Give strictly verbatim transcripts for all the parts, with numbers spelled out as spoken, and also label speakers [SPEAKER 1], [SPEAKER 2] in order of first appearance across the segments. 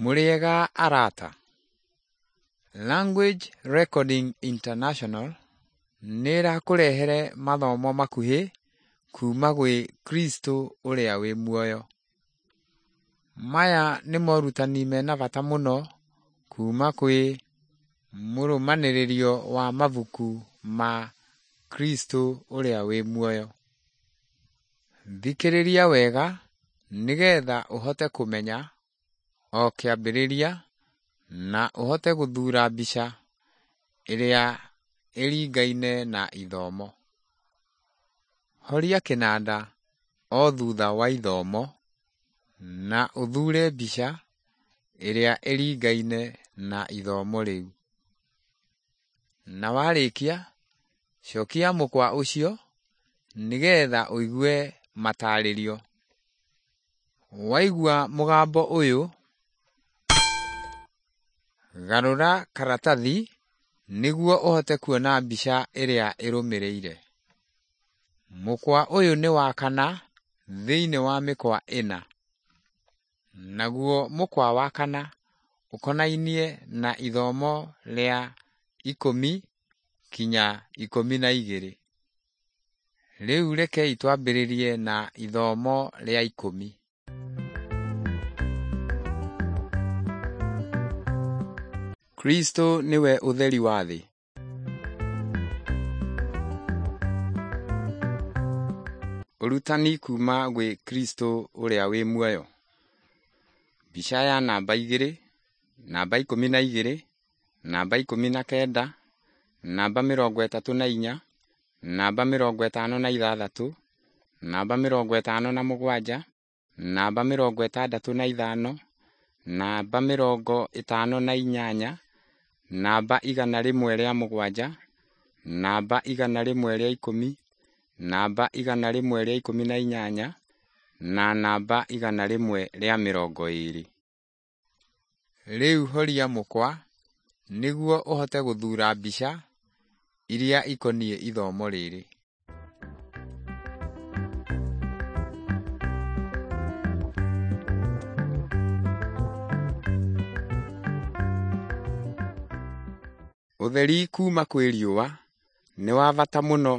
[SPEAKER 1] Mũrĩega arata? Language Recording International nĩĩrakũrehere mathomo makuhĩ kuma gwĩ Kristo ũrĩa wĩ muoyo. Maya nĩ morutani mena bata mũno kuma kwĩ mũrũmanĩrĩrio wa mabuku ma Kristo ũrĩa wĩ muoyo. Thikĩrĩria wega nĩgetha ũhote kũmenya o kĩambĩrĩria na ũhote gũthuura mbica ĩrĩa ĩringaine na ithomo. Horia kĩnanda o thutha wa ithomo na ũthuure mbica ĩrĩa ĩringaine na ithomo rĩu. Na warĩkia, cokia mũkwa ũcio nĩgetha ũigue matarĩrio. Waigua mũgambo ũyũ, garũra karatathi nĩguo ũhote kuona mbica ĩrĩa ĩrũmĩrĩire. Mũkwa ũyũ nĩ wa kana thĩinĩ wa mĩkwa ĩna. Naguo mũkwa wa kana ũkonainie na ithomo rĩa ikũmi kinya ikũmi na igĩrĩ. Rĩu rekei twambĩrĩrie na ithomo rĩa ikũmi. Kristo nĩwe ũtheri wa thĩ. Ũrutani kuma gwĩ Kristo ũrĩa wĩ muoyo. Mbica ya namba igĩrĩ, namba ikũmi na igĩrĩ, namba ikũmi na kenda, namba mĩrongo ĩtatũ na inya, namba mĩrongo ĩtano na ithathatũ, namba mĩrongo ĩtano na mũgwanja, namba mĩrongo ĩtandatũ na ithano, namba mĩrongo ĩtano na inyanya, namba igana rĩmwe rĩa mũgwanja, namba igana rĩmwe rĩa ikũmi, namba igana rĩmwe rĩa ikũmi na inyanya, na namba igana rĩmwe rĩa mĩrongo ĩĩrĩ. Rĩu horia mũkwa nĩguo ũhote gũthuura mbica iria ikoniĩ ithomo rĩrĩ. Ũtheri kuma kwĩ riũa nĩ wa bata mũno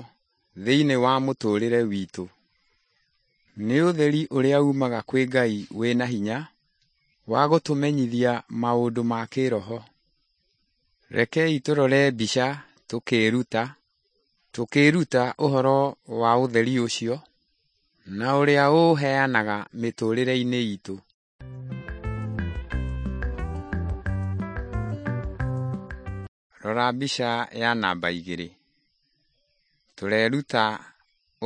[SPEAKER 1] thĩinĩ wa mũtũrĩre witũ. Nĩ ũtheri ũrĩa umaga kwĩ Ngai wĩna hinya wa gũtũmenyithia maũndũ ma kĩroho. Rekei tũrore mbica tũkĩĩruta tũkĩĩruta ũhoro wa ũtheri ũcio na ũrĩa ũũheanaga mĩtũrĩre-inĩ itũ. Rora mbica ya namba igĩrĩ. Tũreruta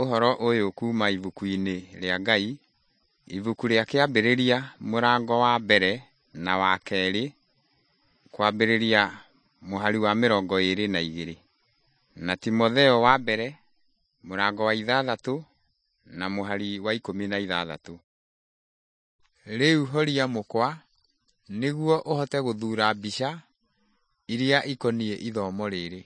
[SPEAKER 1] ũhoro ũyũ kuma ibuku-inĩ rĩa Ngai, ibuku rĩa kĩambĩrĩria mũrango wa mbere na wa kerĩ, kwambĩrĩria mũhari wa mĩrongo ĩĩrĩ na igĩrĩ, na Timotheo wa mbere mũrango wa ithathatũ na mũhari wa ikũmi na ithathatũ. Rĩu horia mũkwa nĩguo ũhote gũthuura mbica iria ikoniĩ ithomo rĩrĩ.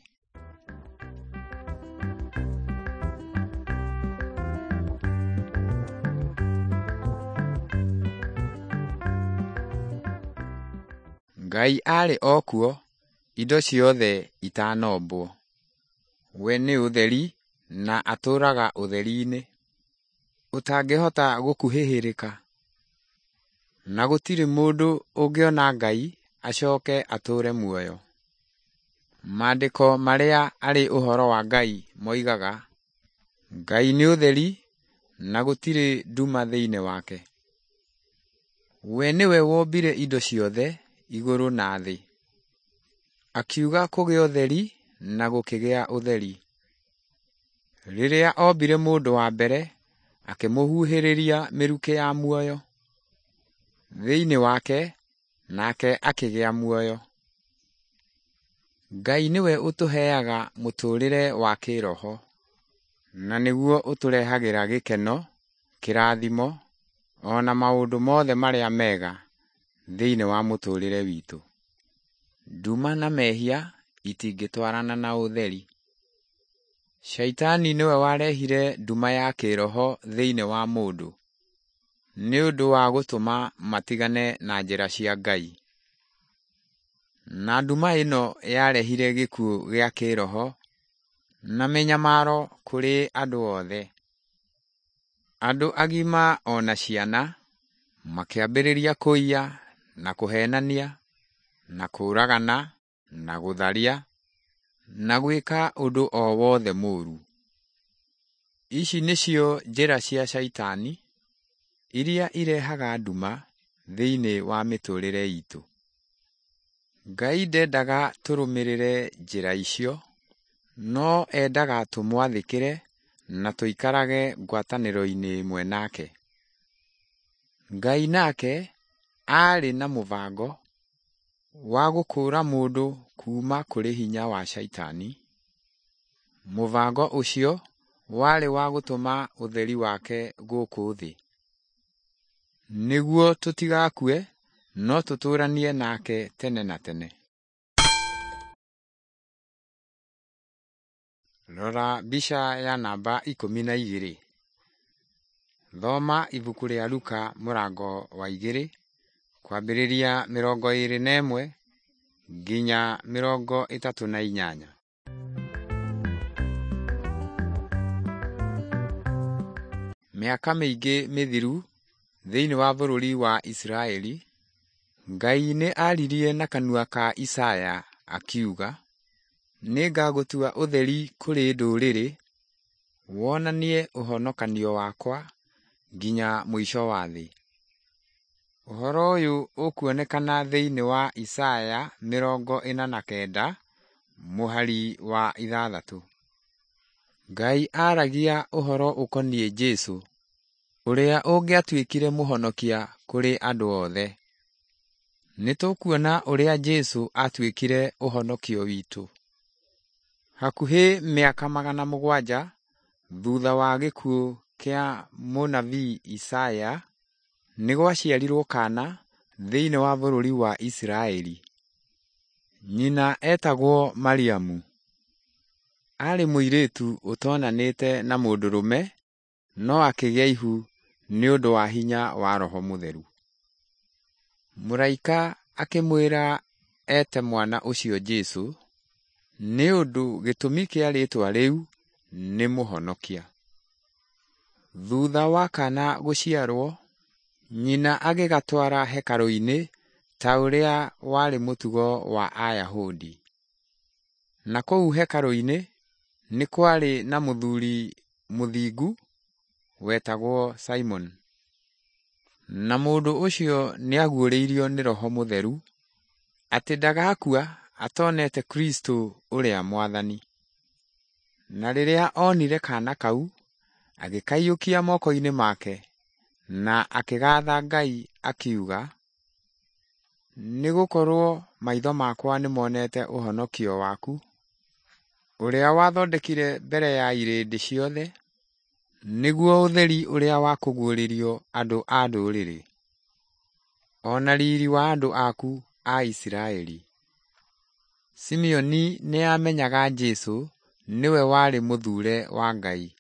[SPEAKER 1] Ngai aarĩ o kuo indo ciothe itanombwo. We nĩ ũtheri na atũũraga ũtheri-inĩ ũtangĩhota gũkuhĩhĩrĩka, na gũtirĩ mũndũ ũngĩona Ngai acoke atũũre muoyo. Maandĩko marĩa arĩ ũhoro wa Ngai moigaga, Ngai nĩ ũtheri na gũtirĩ nduma thĩinĩ wake. We nĩwe wombire indo ciothe igũrũ na thĩ. Akiuga kũgĩe ũtheri na gũkĩgĩa ũtheri. Rĩrĩa ombire mũndũ wa mbere, akĩmũhuhĩrĩria mĩrukĩ ya muoyo thĩinĩ wake, nake akĩgĩa muoyo. Ngai nĩwe ũtũheaga mũtũũrĩre wa kĩroho, na nĩguo ũtũrehagĩra gĩkeno, kĩrathimo, o na maũndũ mothe marĩa mega thĩinĩ wa mũtũũrĩre witũ. Nduma na mehia itingĩtwarana na ũtheri. Shaitani nĩwe warehire nduma ya kĩroho thĩinĩ wa mũndũ. nĩ ũndũ wa gũtũma matigane na njĩra cia Ngai. Na nduma ĩno yarehire gĩkuũ gĩa kĩĩroho na mĩnyamaro kũrĩ andũ othe. Andũ agima o na ciana makĩambĩrĩria kũiya na kũhenania na kũũragana na gũtharia na gwĩka ũndũ o wothe mũũru. Ici nĩcio njĩra cia Shaitani iria irehaga nduma thĩinĩ wa mĩtũrĩre itũ. Ngai ndendaga tũrũmĩrĩre njĩra icio, no endaga tũmwathĩkĩre na tũikarage ngwatanĩro-inĩ ĩmwe nake. Ngai nake aarĩ na mũbango wa gũkũũra mũndũ kuuma kũrĩ hinya wa Shaitani. Mũbango ũcio warĩ wa gũtũma ũtheri wake gũkũ thĩ, nĩguo tũtigakue no tũtũũranie nake tene na tene. Rora mbica ya namba ikũmi na igĩrĩ. Thoma ibuku rĩa Luka mũrango wa igĩrĩ kwambĩrĩria mĩrongo ĩrĩ na ĩmwe nginya mĩrongo ĩtatũ na inyanya. Mĩaka mĩingĩ mĩthiru thĩinĩ wa bũrũri wa Isiraeli, Ngai nĩ aaririe na kanua ka Isaya akiuga, nĩngagũtua ũtheri kũrĩ ndũrĩrĩ, wonanie ũhonokanio wakwa nginya mũico wa thĩ. Ũhoro ũyũ ũkuonekana thĩinĩ wa Isaya mĩrongo ĩna na kenda mũhari wa ithathatũ. Ngai aaragia ũhoro ũkoniĩ Jesũ, ũrĩa ũngĩatuĩkire mũhonokia kũrĩ andũ othe. Nĩ tũkuona ũrĩa Jesũ aatuĩkire ũhonokio witũ. Hakuhĩ mĩaka magana mũgwanja thutha wa gĩkuũ kĩa mũnabii Isaya, nĩ gwaciarirwo kaana thĩinĩ wa bũrũri wa Isiraeli. Nyina etagwo Mariamu. Aarĩ mũirĩtu ũtonanĩte na mũndũrũme no akĩgĩa ihu nĩ ũndũ wa hinya wa Roho Mũtheru. Mũraika akĩmwĩra ete mwana ũcio Jesũ, nĩ ũndũ gĩtũmi kĩa rĩĩtwa rĩu nĩ Mũhonokia. Thutha wa kaana gũciarwo, nyina agĩgatwara hekarũ-inĩ ta ũrĩa warĩ mũtugo wa Ayahudi. Na kũu hekarũ-inĩ nĩ kwarĩ na mũthuri mũthingu wetagwo Simon. Na mũndũ ũcio nĩaguũrĩirio nĩ Roho Mũtheru atĩ ndagakua atonete Kristũ ũrĩa Mwathani. Na rĩrĩa onire kaana kau, agĩkaiyũkia moko-inĩ make na akĩgaatha Ngai akiuga, nĩ gũkorwo maitho makwa nĩmonete ũhonokio waku, ũrĩa wathondekire mbere ya irĩndĩ ciothe, nĩguo ũtheri ũrĩa wa kũguũrĩrio andũ a ndũrĩrĩ, o na riiri wa andũ aku a Isiraeli. Simeoni nĩ aamenyaga Jesũ nĩwe warĩ mũthuure wa Ngai.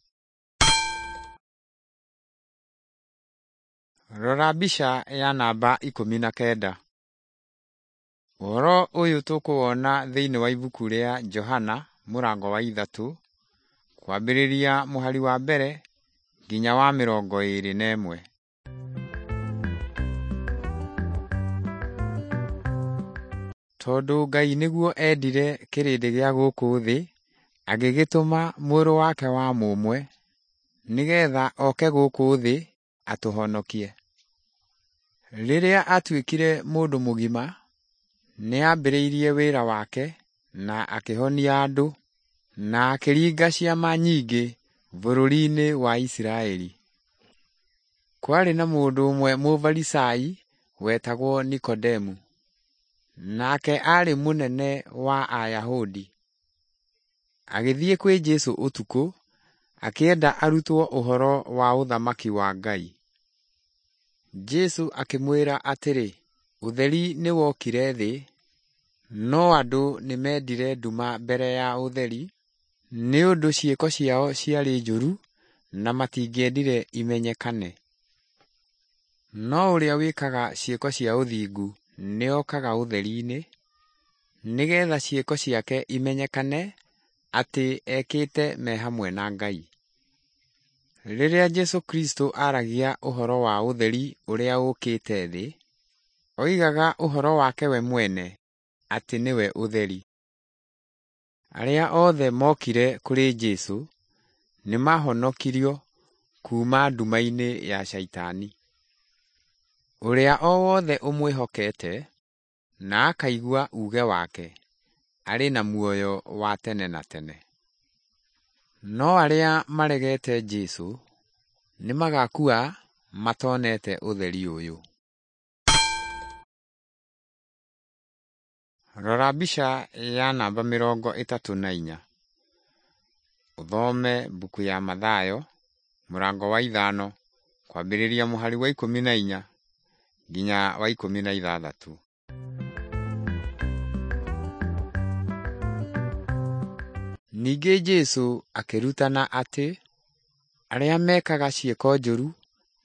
[SPEAKER 1] Rora mbica ya namba ikũmi na kenda. Ũhoro ũyũ tũkũwona thĩinĩ wa ibuku rĩa Johana mũrango wa ithatũ kwambĩrĩria mũhari wa mbere nginya wa mĩrongo ĩrĩ na ĩmwe. Tondũ Ngai nĩguo endire kĩrĩndĩ gĩa gũkũ thĩ, agĩgĩtũma mũrũ wake wa mũmwe, nĩgetha oke gũkũ thĩ atũhonokie. Rĩrĩa atuĩkire mũndũ mũgima, nĩ aambĩrĩirie wĩra wake na akĩhonia andũ na akĩringa ciama nyingĩ bũrũri-inĩ wa Isiraeli. Kwarĩ na mũndũ ũmwe Mũfarisai wetagwo Nikodemu, nake aarĩ mũnene wa Ayahudi. Agĩthiĩ kwĩ Jesũ ũtukũ, akĩenda arutwo ũhoro wa ũthamaki wa Ngai. Jesũ akĩmwĩra atĩrĩ, ũtheri nĩwokire thĩ, no andũ nĩmendire nduma mbere ya ũtheri, nĩ ũndũ ciĩko ciao ciarĩ njũru na matingĩendire imenyekane. No ũrĩa wĩkaga ciĩko cia ũthingu nĩokaga ũtheri-inĩ, nĩgeetha ciĩko ciake imenyekane atĩ ekĩte me hamwe na Ngai. Rĩrĩa Jesũ Kristũ aaragia ũhoro wa ũtheri ũrĩa ũũkĩte thĩ, oigaga ũhoro wake we mwene atĩ nĩwe ũtheri. Arĩa othe mookire kũrĩ Jesũ nĩmahonokirio kuuma nduma-inĩ ya Shaitani. Ũrĩa o wothe ũmwĩhokete na akaigua uuge wake arĩ na muoyo wa tene na tene. No arĩa maregete Jesũ nĩmagakua matonete ũtheri ũyũ. Rora mbica ya namba mĩrongo ĩtatũ na inya. Ũthome mbuku ya Mathayo mũrango wa ithano kwambĩrĩria mũhari wa ikũmi na inya nginya wa ikũmi na ithathatũ. Ningĩ Jesũ akĩrutana atĩ arĩa mekaga ciĩko njũru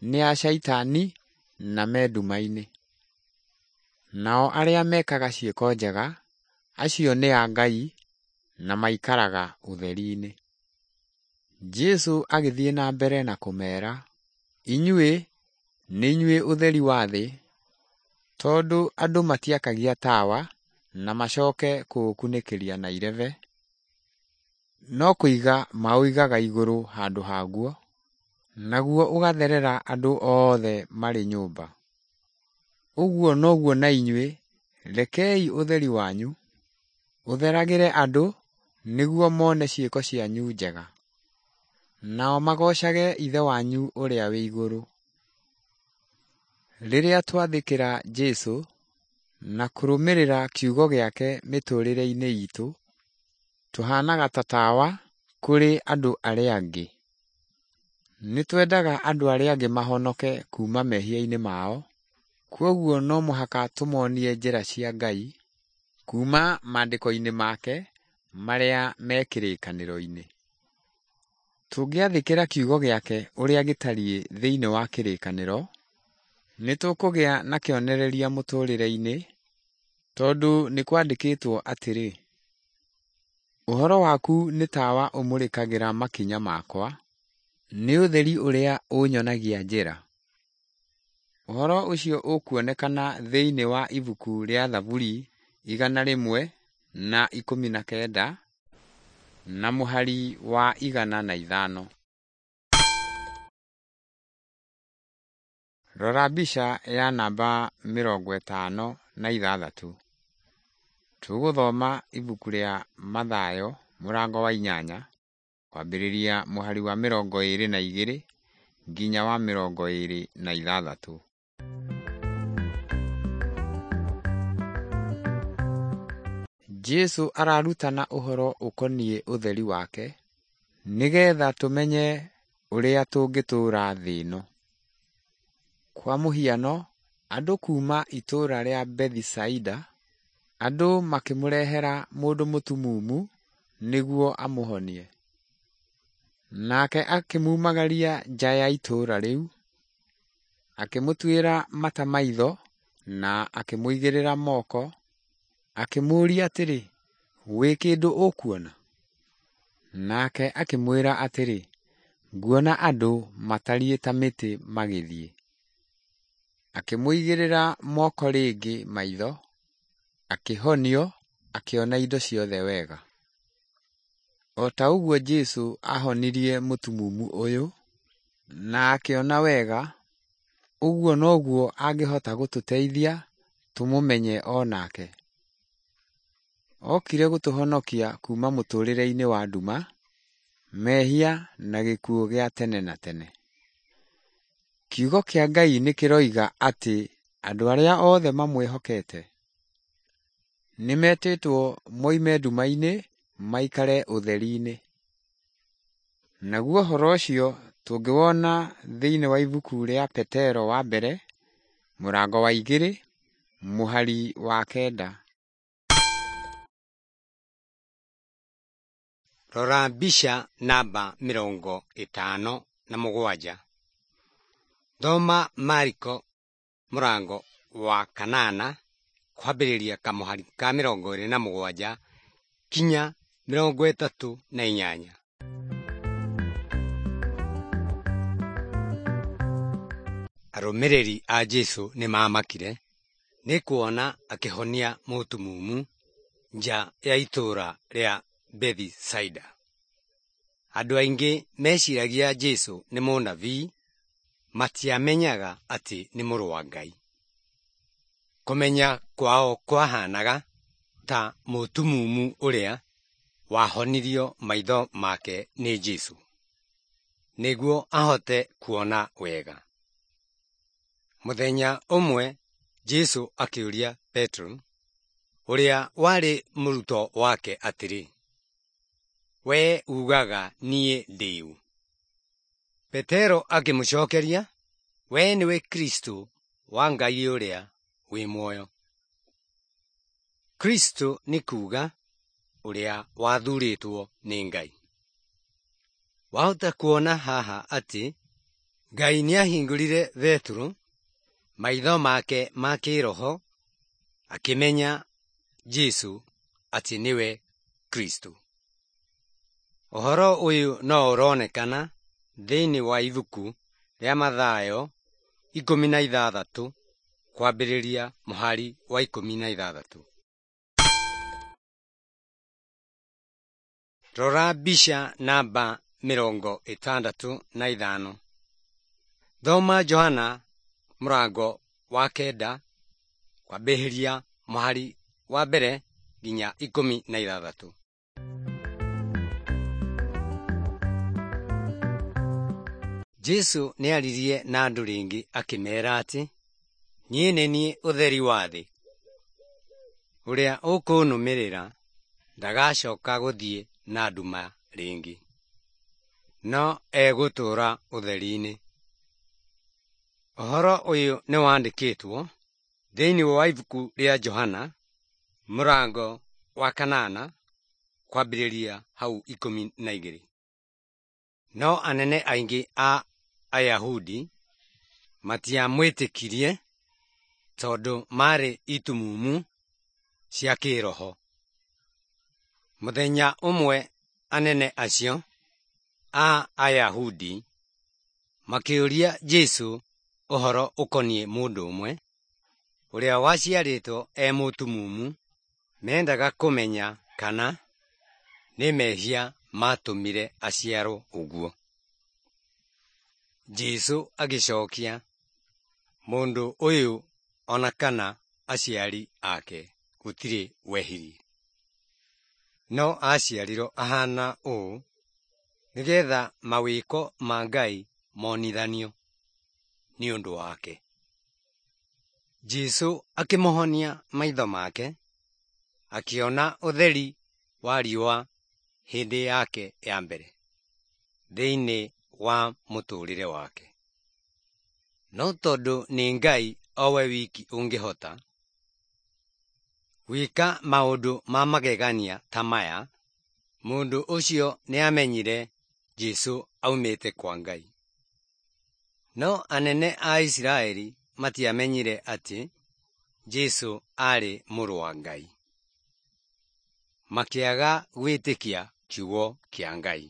[SPEAKER 1] nĩ a Shaitani na me nduma-inĩ. Nao arĩa mekaga ciĩko njega acio nĩ a Ngai na maikaraga ũtheri-inĩ. Jesũ agĩthiĩ na mbere na kũmeera, inyuĩ nĩ inyuĩ ũtheri wa thĩ, tondũ andũ matiakagia tawa na macoke kũũkunĩkĩria na irebe, no kũiga maũigaga igũrũ handũ haguo, naguo ũgatherera andũ othe marĩ nyũmba. Ũguo noguo na inyuĩ rekei ũtheri wanyu ũtheragĩre andũ nĩguo mone ciĩko cianyu njega, nao magoocage Ithe wanyu ũrĩa wĩ igũrũ. Rĩrĩa twathĩkĩra Jesũ na kũrũmĩrĩra kiugo gĩake mĩtũũrĩre-inĩ itũ, tũhanaga ta tawa kũrĩ andũ arĩa angĩ. Nĩ twendaga andũ arĩa angĩ mahonoke kuuma mehia-inĩ mao, kwoguo no mũhaka tũmonie njĩra cia Ngai kuuma maandĩko-inĩ make marĩa me kĩrĩkanĩro-inĩ. Tũngĩathĩkĩra kiugo gĩake ũrĩa gĩtariĩ thĩinĩ wa kĩrĩkanĩro, nĩ tũkũgĩa na kĩonereria mũtũũrĩre-inĩ, tondũ nĩ kwandĩkĩtwo atĩrĩ, ũhoro waku nĩ tawa ũmũrĩkagĩra makinya makwa, nĩ ũtheri ũrĩa ũnyonagia njĩra. Ũhoro ũcio ũkuonekana thĩinĩ wa ibuku rĩa Thaburi igana rĩmwe na ikũmi na kenda na mũhari wa igana na ithano. Rora mbica ya namba mĩrongo ĩtano na ithathatũ. Tũgũthoma ibuku rĩa Mathayo mũrango wa inyanya kwambĩrĩria mũhari wa mĩrongo ĩĩrĩ na igĩrĩ nginya wa mĩrongo ĩĩrĩ na ithathatũ. Jesũ ararutana ũhoro ũkoniĩ ũtheri wake nĩgetha tũmenye ũrĩa tũngĩtũũra thĩ ĩno. Kwa mũhiano, andũ kuuma itũũra rĩa Bethisaida, andũ makĩmũrehera mũndũ mũtumumu nĩguo amũhonie. Nake akĩmumagaria nja ya itũũra rĩu, akĩmũtuĩra mata maitho na akĩmũigĩrĩra moko, akĩmũũria atĩrĩ, wĩ kĩndũ ũkuona? Nake akĩmwĩra atĩrĩ, nguona andũ matariĩ ta mĩtĩ magĩthiĩ. Akĩmũigĩrĩra moko rĩngĩ maitho, akĩhonio, akĩona indo ciothe wega. O ta ũguo Jesũ ahonirie mũtumumu ũyũ na akĩona wega, ũguo noguo angĩhota gũtũteithia tũmũmenye o nake. Okire gũtũhonokia kuuma mũtũũrĩre-inĩ wa nduma, mehia na gĩkuũ gĩa tene na tene. Kiugo kĩa Ngai nĩ kĩroiga atĩ andũ arĩa othe mamwĩhokete nĩmetĩtwo moime nduma-inĩ maikare ũtheri-inĩ. Naguo ũhoro ũcio tũngĩwona thĩinĩ wa ibuku rĩa Petero wa mbere mũrango wa igĩrĩ mũhari wa kenda.
[SPEAKER 2] Rora mbica namba mĩrongo ĩtano na mũgwanja. Thoma Mariko Mũrango wa kanana kwambĩrĩria kamũhari ka mĩrongo ĩrĩ na mũgwanja kinya mĩrongo ĩtatũ na inyanya. Arũmĩrĩri a Jesũ nĩmamakire nĩ kuona akĩhonia mũtumumu nja ya itũũra rĩa Bethisaida. Andũ aingĩ meciragia Jesũ nĩ mũnabii, matiamenyaga atĩ nĩ mũrũ wa Ngai. Kũmenya kwao kwahanaga ta mũtumumu ũrĩa wahonirio maitho make nĩ Jesũ nĩguo ahote kuona wega. Mũthenya ũmwe Jesũ akĩũria Petero, ũrĩa warĩ mũrutwo wake atĩrĩ, “Wee uugaga niĩ ndĩ ũ?” Petero akĩmũcokeria, “Wee nĩwe Kristũ wa Ngai ũrĩa wĩ muoyo.” Kristũ nĩ kuuga ũrĩa wathuurĩtwo nĩ Ngai. Wahota kuona haha atĩ Ngai nĩahingũrire Petero maitho make ma kĩĩroho akĩmenya Jesũ atĩ nĩwe Kristũ. Ũhoro ũyũ no ũronekana thĩinĩ wa ibuku rĩa Mathayo ikũmi na ithathatũ kwambĩrĩria mũhari wa ikũmi na ithathatũ. Rora mbica namba mĩrongo ĩtandatũ na ithano. Thoma Johana mũrango wa kenda kwambĩrĩria mũhari wa mbere nginya ikũmi na ithathatũ. Jesũ nĩaririe na andũ rĩngĩ akĩmeera atĩ, “Niĩ nĩ niĩ ũtheri wa thĩ. Ũrĩa ũkũnũmĩrĩra ndagacoka gũthiĩ na nduma rĩngĩ, no egũtũũra ũtheri-inĩ.” Ũhoro ũyũ nĩwandĩkĩtwo thĩinĩ wa ibuku rĩa Johana mũrango wa kanana kwambĩrĩria hau ikũmi na igĩrĩ. No anene aingĩ a Ayahudi matiamwĩtĩkirie tondũ maarĩ itumumu cia kĩĩroho. Mũthenya ũmwe anene acio a Ayahudi makĩũria Jesũ ũhoro ũkoniĩ mũndũ ũmwe ũrĩa waciarĩtwo e mũtumumu. Mendaga kũmenya kana nĩ mehia maatũmire aciarwo ũguo. Jesũ agĩcokia, “Mũndũ ũyũ ona kana aciari ake gũtirĩ wehirie, no aciarirwo ahana ũũ nĩgetha mawĩko ma Ngai monithanio nĩ ũndũ wake.” Jesũ akĩmũhonia maitho make, akĩona ũtheri wa riũa hĩndĩ yake ya mbere thĩinĩ wa mũtũũrĩre wake. No tondũ nĩ Ngai o we wiki ũngĩhota gwĩka maũndũ ma magegania ta maya, mũndũ ũcio nĩamenyire Jesũ aumĩte kwa Ngai. No anene a Isiraeli matiamenyire atĩ Jesũ aarĩ mũrũ wa Ngai. Makĩaga gwĩtĩkia kiugo kĩa Ngai.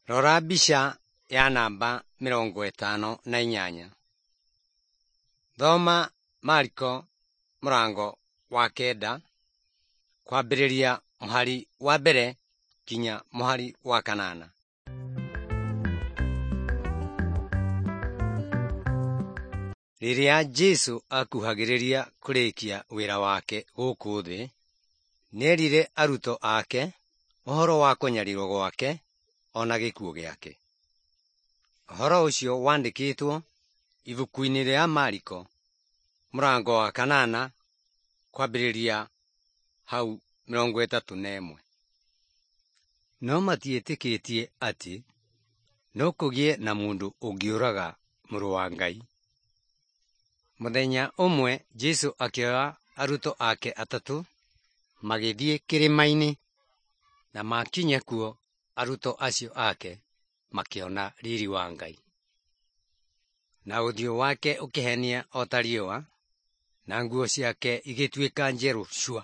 [SPEAKER 2] Rora mbica ya namba mĩrongo ĩtano na inyanya. Thoma Mariko mũrango wa kenda kwambĩrĩria mũhari wa mbere nginya mũhari wa kanana. Rĩrĩa Jesũ akuhagĩrĩria kũrĩkia wĩra wake gũkũ thĩ, nĩerire arutwo ake ũhoro wa kũnyarirwo gwake ona gĩkuũ gĩake. Ũhoro ũcio wandĩkĩtwo ibuku-inĩ rĩa Mariko mũrango wa kanana kwambĩrĩria hau mĩrongo ĩtatũ na ĩmwe. No matiĩtĩkĩtie atĩ no kũgĩe na mũndũ ũngĩũraga mũrũ wa Ngai. Mũthenya ũmwe Jesũ akĩoya arutwo ake atatũ magĩthiĩ kĩrĩma-inĩ, na makinya kuo arutwo acio ake makĩona riri wa Ngai. Na ũthiũ wake ũkĩhenia o ta riũa, na nguo ciake igĩtuĩka njerũ cua.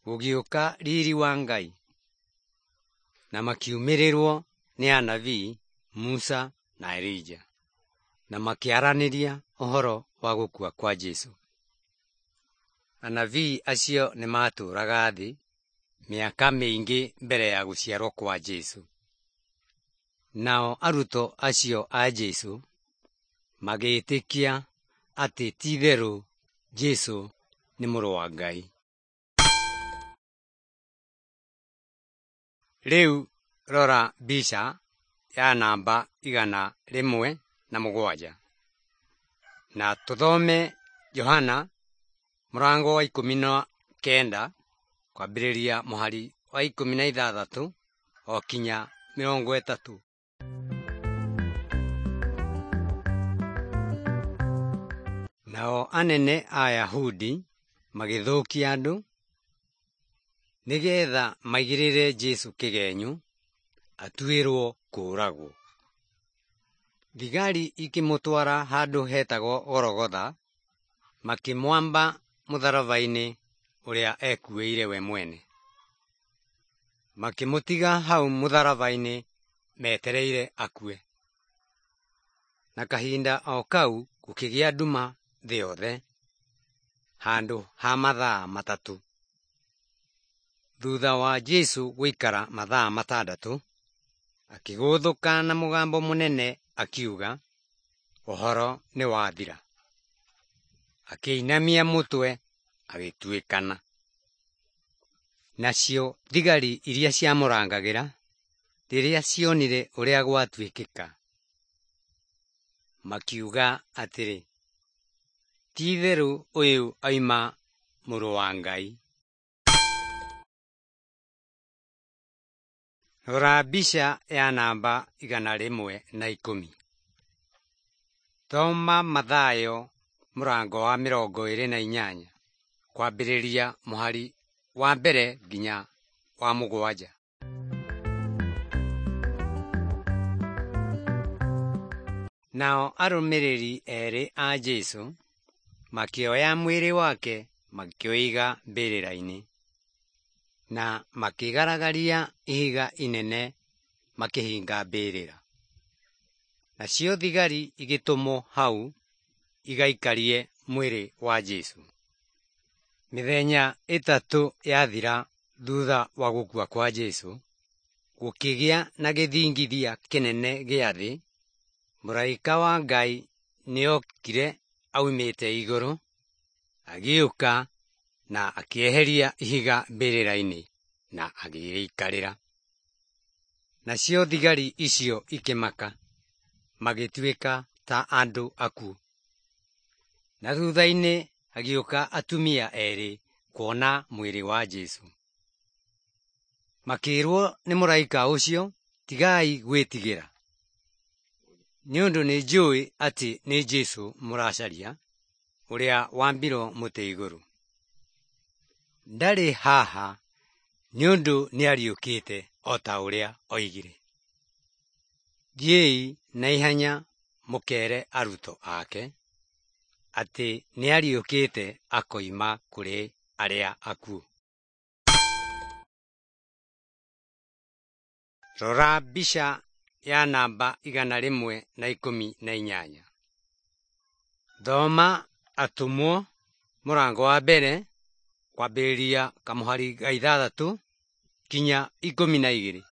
[SPEAKER 2] Gũgĩũka riri wa Ngai, na makiumĩrĩrwo nĩ anabii Musa na Elija, na makĩaranĩria ũhoro wa gũkua kwa Jesũ. Anabii acio nĩmatũũraga thĩ mĩaka mĩingĩ mbere ya gũciarwo kwa Jesũ. Nao arutwo acio a Jesũ magĩĩtĩkia atĩ ti-itherũ Jesũ nĩ Mũrũ wa Ngai. Rĩu rora mbica ya namba igana rĩmwe na mũgwanja na tũthome Johana mũrango wa ikũmi na kenda kwambĩrĩria mũhari wa ikũmi na ithathatũ o kinya mĩrongo ĩtatũ. Nao anene a Ayahudi magĩthũkia andũ nĩgetha maigĩrĩre Jesũ kĩgenyo atuĩrwo kũũragwo. Thigari ikĩmũtwara handũ hetagwo Gorogotha, makĩmwamba mũtharaba-inĩ ũrĩa ekuĩire we mwene. Makĩmũtiga hau mũtharaba-inĩ metereire akue. Na kahinda o kau gũkĩgĩa nduma thĩ yothe handũ ha mathaa matatũ. Thutha wa Jesũ gũikara mathaa matandatũ, akĩgũthũka na mũgambo mũnene akiuga, "Ũhoro nĩwathira." Akĩinamia mũtwe agĩtuĩkana. Nacio thigari iria ciamũrangagĩra rĩrĩa cionire ũrĩa gwatuĩkĩka, makiuga atĩrĩ, "Ti-itherũ ũyũ oima Mũrũ wa Ngai." Rora mbica ya namba igana rĩmwe na ikũmi. Thoma Mathayo mũrango wa mĩrongo ĩrĩ na inyanya kwambĩrĩria mũhari wa mbere nginya wa mũgwanja. Nao arũmĩrĩri erĩ a Jesũ makĩoya mwĩrĩ wake makĩũiga mbĩrĩra-inĩ, na makĩgaragaria ihiga inene makĩhinga mbĩrĩra. Nacio thigari igĩtũmwo hau igaikarie mwĩrĩ wa Jesũ. Mĩthenya ĩtatũ yathira thutha wa gũkua kwa Jesũ, gũkĩgĩa na gĩthingithia kĩnene gĩa thĩ. Mũraika wa Ngai nĩokire aumĩte igũrũ, agĩũka na akĩeheria ihiga mbĩrĩra-inĩ na agĩrĩikarĩra. Nacio thigari icio ikĩmaka, magĩtuĩka ta andũ akuũ. Na thutha-inĩ hagĩũka atumia erĩ kuona mwĩrĩ wa Jesũ. Makĩĩrwo nĩ mũraika ũcio, "Tigai gwĩtigĩra, nĩ ũndũ nĩnjũĩ atĩ nĩ Jesũ mũracaria, ũrĩa wambirwo mũtĩ igũrũ. Ndarĩ haha nĩ ũndũ nĩariũkĩte o ta ũrĩa oigire. Thiĩi na ihenya mũkeere arutwo ake atĩ nĩariũkĩte akoima kũrĩ arĩa akuũ." Rora mbica ya namba igana rĩmwe na ikũmi na inyanya. Thoma Atũmwo mũrango wa mbere kwambĩrĩria kamũhari ga ithathatũ kinya ikũmi na igĩrĩ.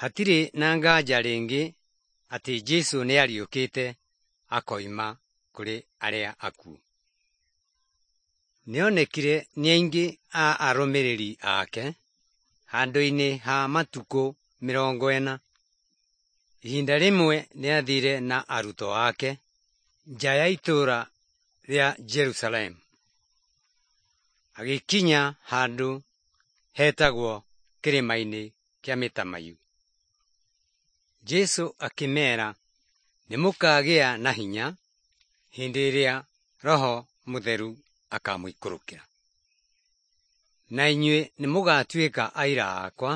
[SPEAKER 2] Hatirĩ na nganja rĩngĩ atĩ Jesũ nĩariũkĩte akoima kũrĩ arĩa akuũ. Nĩonekire nĩ aingĩ a arũmĩrĩri ake handũ-inĩ ha matukũ mĩrongo ĩna. Ihinda rĩmwe nĩathire na arutwo ake nja ya itũũra rĩa Jerusalemu. Agĩkinya handũ hetagwo kĩrĩma-inĩ kĩa mĩtamaiyũ. Jesũ akĩmeera, "Nĩmũkagĩa na hinya hĩndĩ ĩrĩa Roho Mũtheru akamũikũrũkĩra, na inyuĩ nĩmũgatuĩka aira akwa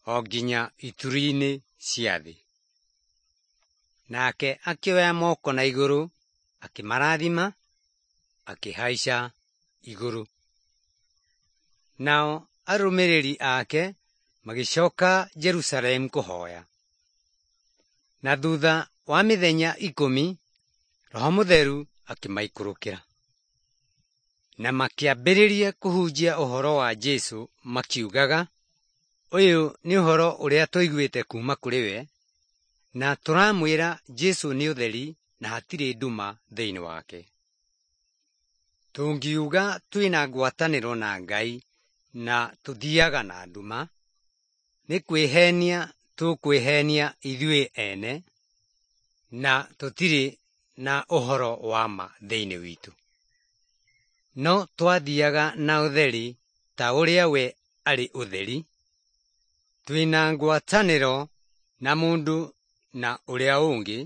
[SPEAKER 2] o nginya ituri-inĩ cia thĩ. Nake akĩoya moko na igũrũ, akĩmarathima, akĩhaica igũrũ. Nao arũmĩrĩri ake magĩcoka Jerusalemu kũhoya. Na thutha wa mĩthenya ikũmi, Roho Mũtheru akĩmaikũrũkĩra. Na makĩambĩrĩria kũhunjia ũhoro wa Jesũ makiugaga, "Ũyũ nĩ ũhoro ũrĩa tũiguĩte kuuma kũrĩ we, na tũramwĩra Jesũ nĩ ũtheri na hatirĩ nduma thĩinĩ wake." Tũngiuga twĩna ngwatanĩro na Ngai na tũthiaga na nduma, nĩ kwĩhenia tũkwĩhenia ithuĩ ene, na tũtirĩ na ũhoro wa ma thĩinĩ witũ. No twathiaga na ũtheri ta ũrĩa we arĩ ũtheri, twĩna ngwatanĩro na mũndũ na ũrĩa ũngĩ,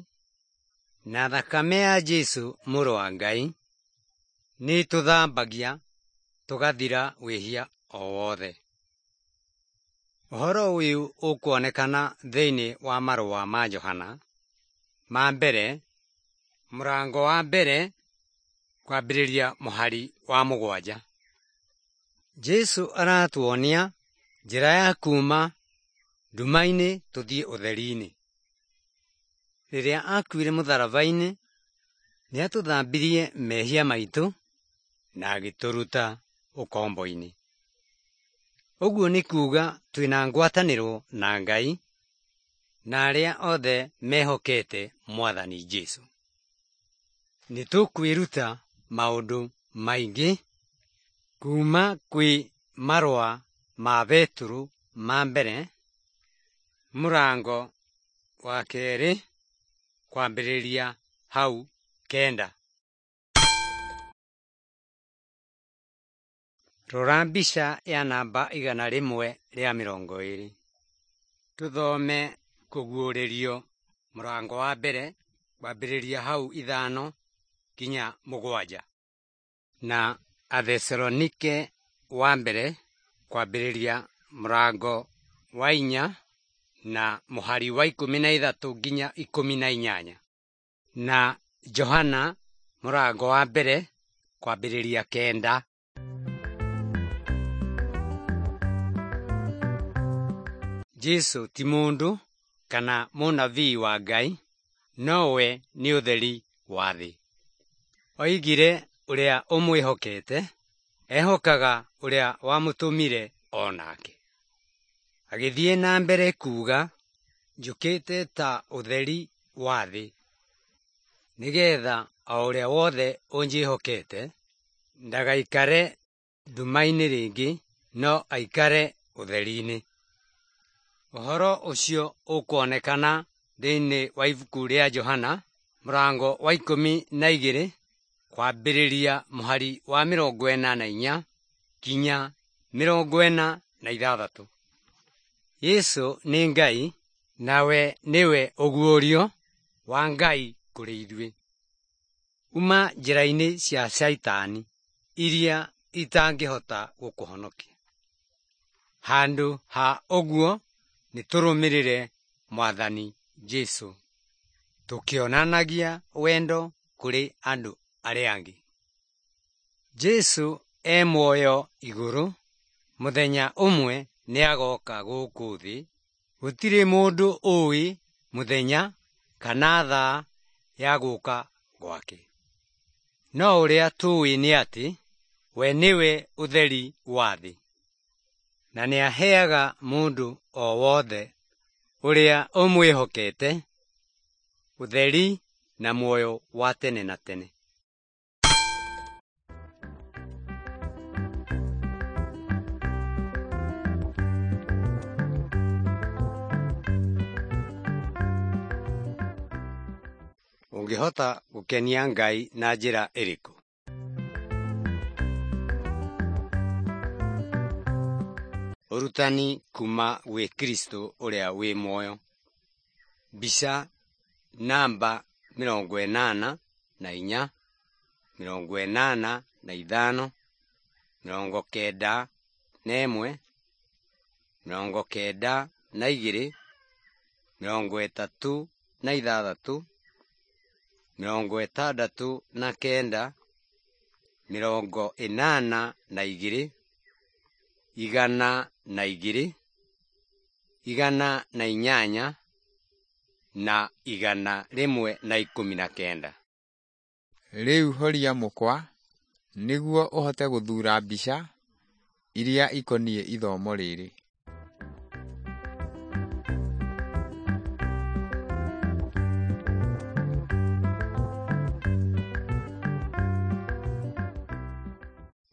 [SPEAKER 2] na thakame ya Jesũ mũrũ wa Ngai nĩĩtũthambagia tũgathira wĩhia o wothe. Ũhoro ũyũ ũkuonekana thĩinĩ wa marũa ma Johana ma mbere, mũrango wa mbere, kwambĩrĩria mũhari wa mũgwanja. Jesũ aratuonia njĩra ya kuuma nduma-inĩ tũthiĩ ũtheri-inĩ. Rĩrĩa akuire mũtharaba-inĩ, nĩatũthambirie mehia maitũ na agĩtũruta ũkombo-inĩ. Ũguo nĩ kuuga twĩna ngwatanĩro na Ngai na arĩa othe mehokete Mwathani Jesũ. Nĩtũkwĩruta maũndũ maingĩ kuuma kwĩ marũa ma Betũrũ ma mbere, mũrango wa kerĩ, kwambĩrĩria hau kenda. Rora mbica ya namba igana rĩmwe rĩa mĩrongo ĩrĩ. Tũthome kũguũrĩrio mũrango wa mbere kwambĩrĩria hau ithano nginya mũgwanja, na Athesalonike wa mbere kwambĩrĩria mũrango wa inya na mũhari wa ikũmi na ithatũ nginya ikũmi na inyanya, na Johana mũrango wa mbere kwambĩrĩria kenda. Jesũ ti mũndũ kana mũnabii wa Ngai, nowe nĩ ũtheri wa thĩ. Oigire ũrĩa ũmwĩhokete ehokaga ũrĩa wamũtũmire o nake. Agĩthiĩ na mbere kuuga, njũkĩte ta ũtheri wa thĩ, nĩgetha o ũrĩa wothe ũnjĩhokete ndagaikare nduma-inĩ rĩngĩ, no aikare ũtheri-inĩ. Ũhoro ũcio ũkuonekana thĩinĩ wa ibuku rĩa Johana mũrango wa ikũmi na igĩrĩ kwambĩrĩria mũhari wa mĩrongo ĩna na inya nginya mĩrongo ĩna na ithathatũ. Jesũ nĩ Ngai nawe nĩwe ũguũrio wa Ngai kũrĩ ithuĩ. Uma njĩra-inĩ cia Shaitani iria itangĩhota gũkũhonokia. Handũ ha ũguo nĩtũrũmĩrĩre Mwathani Jesũ tũkĩonanagia wendo kũrĩ andũ arĩa angĩ. Jesũ e muoyo igũrũ, mũthenya ũmwe nĩagoka gũkũ thĩ. Gũtirĩ mũndũ ũĩ mũthenya kana thaa ya gũka gwake, no ũrĩa tũĩ nĩ atĩ we nĩwe ũtheri wa thĩ, na nĩaheaga mũndũ o wothe ũrĩa ũmwĩhokete ũtheri na muoyo wa tene na tene. Ũngĩhota gũkenia Ngai na njĩra ĩrĩkũ? Ũrutani kuma gwĩ Kristo ũrĩa wĩ muoyo. Mbica namba mĩrongo ĩnana na inya, mĩrongo ĩnana na ithano, mĩrongo kenda na ĩmwe, mĩrongo kenda na igĩrĩ, mĩrongo ĩtatũ na ithathatũ, mĩrongo ĩtandatũ na kenda, mĩrongo ĩnana na igĩrĩ, igana na igĩrĩ, igana na inyanya, na igana rĩmwe na ikũmi na kenda.
[SPEAKER 1] Rĩu horia mũkwa nĩguo ũhote gũthuura mbica iria ikoniĩ ithomo rĩrĩ.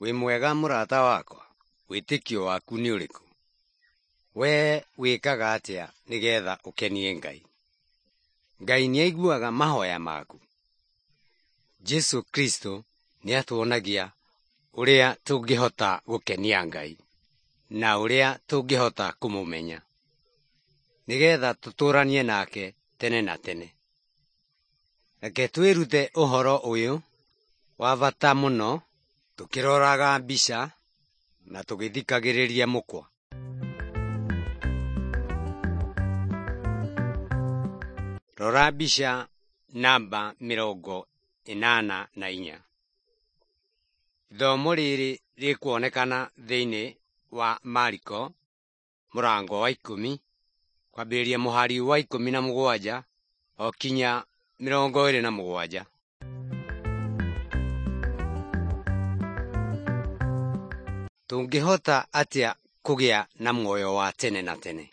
[SPEAKER 2] Wĩ mwega mũrata wakwa? Wĩtĩkio waku nĩ ũrĩkũ? Wee wĩkaga atĩa nĩgetha ũkenie Ngai? Ngai nĩaiguaga mahoya maku? Jesu Kristo nĩatuonagia ũrĩa tũngĩhota gũkenia Ngai na ũrĩa tũngĩhota kũmũmenya nĩgetha tũtũranie nake tene na tene. Reke twĩrute ũhoro ũyũ wa bata mũno tũkĩroraga mbica na tũgĩthikagĩrĩria mũkwa. Rora mbica namba mĩrongo ĩnana na inya. Ithomo rĩrĩ rĩkuonekana thĩinĩ wa Mariko mũrango wa ikũmi kwambĩrĩria mũhari wa ikũmi na mũgwanja o kinya mĩrongo ĩrĩ na mũgwanja. Tũngĩhota atĩa kũgĩa na muoyo wa tene na tene?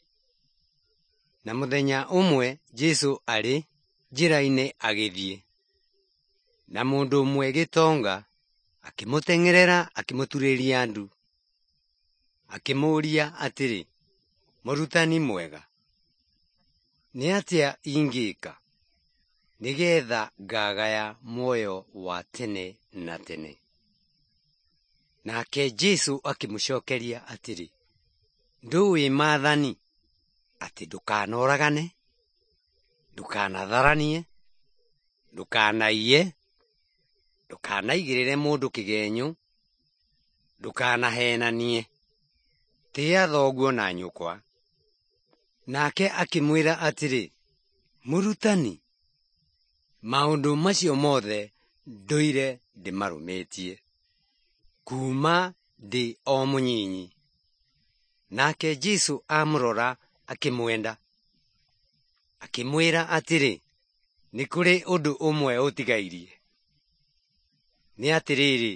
[SPEAKER 2] Na mũthenya ũmwe Jesũ arĩ njĩra-inĩ agĩthiĩ, na mũndũ ũmwe gĩtonga akĩmũteng'erera akĩmũturĩria ndu, akĩmũũria atĩrĩ, Mũrutani mwega, nĩ atĩa ingĩka nĩgetha ngagaya muoyo wa tene na tene? Nake Jesũ akĩmũcokeria atĩrĩ, Ndũĩ maathani atĩ ndũkanoragane, ndũkanatharanie, ndũkanaiye, ndũkanaigĩrĩre mũndũ kĩgenyo, ndũkanahenanie, tĩa thoguo na nyũkwa. Nake akĩmwĩra atĩrĩ, Mũrutani, maũndũ macio mothe ndũire ndĩmarũmĩtie kuuma ndĩ o mũnyinyi. Nake Jesũ amũrora akĩmwenda, akĩmwĩra atĩrĩ, nĩ kũrĩ ũndũ ũmwe ũtigairie. Nĩ atĩrĩrĩ,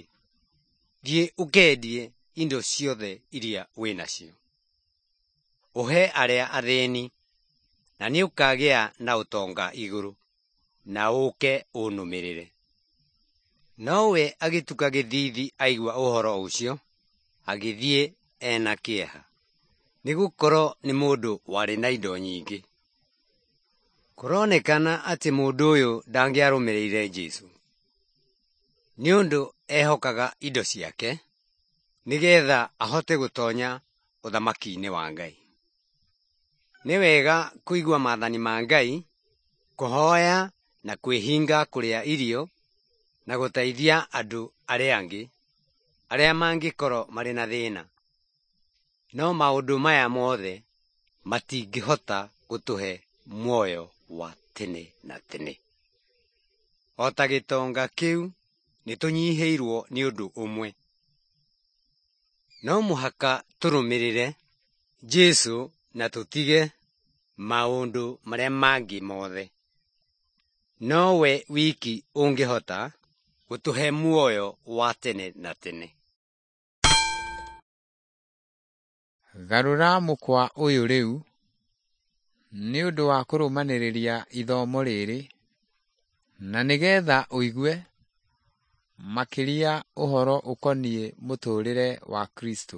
[SPEAKER 2] thiĩ ũkendie indo ciothe iria wĩ nacio, ũhe arĩa athĩni, na nĩũkagĩa na ũtonga igũrũ, na ũũke ũnũmĩrĩre. Nowe agĩtuka gĩthiithi aigua ũhoro ũcio, agĩthiĩ ena kĩeha, nĩgũkorwo nĩ mũndũ warĩ na indo nyingĩ. Kũronekana atĩ mũndũ ũyũ ndangĩarũmĩrĩire Jesũ, nĩ ũndũ ehokaga indo ciake nĩgetha ahote gũtonya ũthamaki-inĩ wa Ngai. Nĩ wega kũigua maathani ma Ngai, kũhoya na kwĩhinga kũrĩa irio na gũteithia andũ arĩa angĩ arĩa mangĩkorwo marĩ na thĩna. No maũndũ maya mothe matingĩhota gũtũhe muoyo wa tene na tene. O ta gĩtonga kĩu nĩtũnyihĩirwo nĩ ũndũ ũmwe. No mũhaka tũrũmĩrĩre Jesũ na tũtige maũndũ marĩa mangĩ mothe. Nowe wiki ũngĩhota gũtũhe muoyo wa tene na tene.
[SPEAKER 1] Garũra mũkwa ũyũ rĩu nĩ ũndũ wa kũrũmanĩrĩria ithomo rĩrĩ na nĩgetha ũigue makĩria ũhoro ũkoniĩ mũtũũrĩre wa Kristo.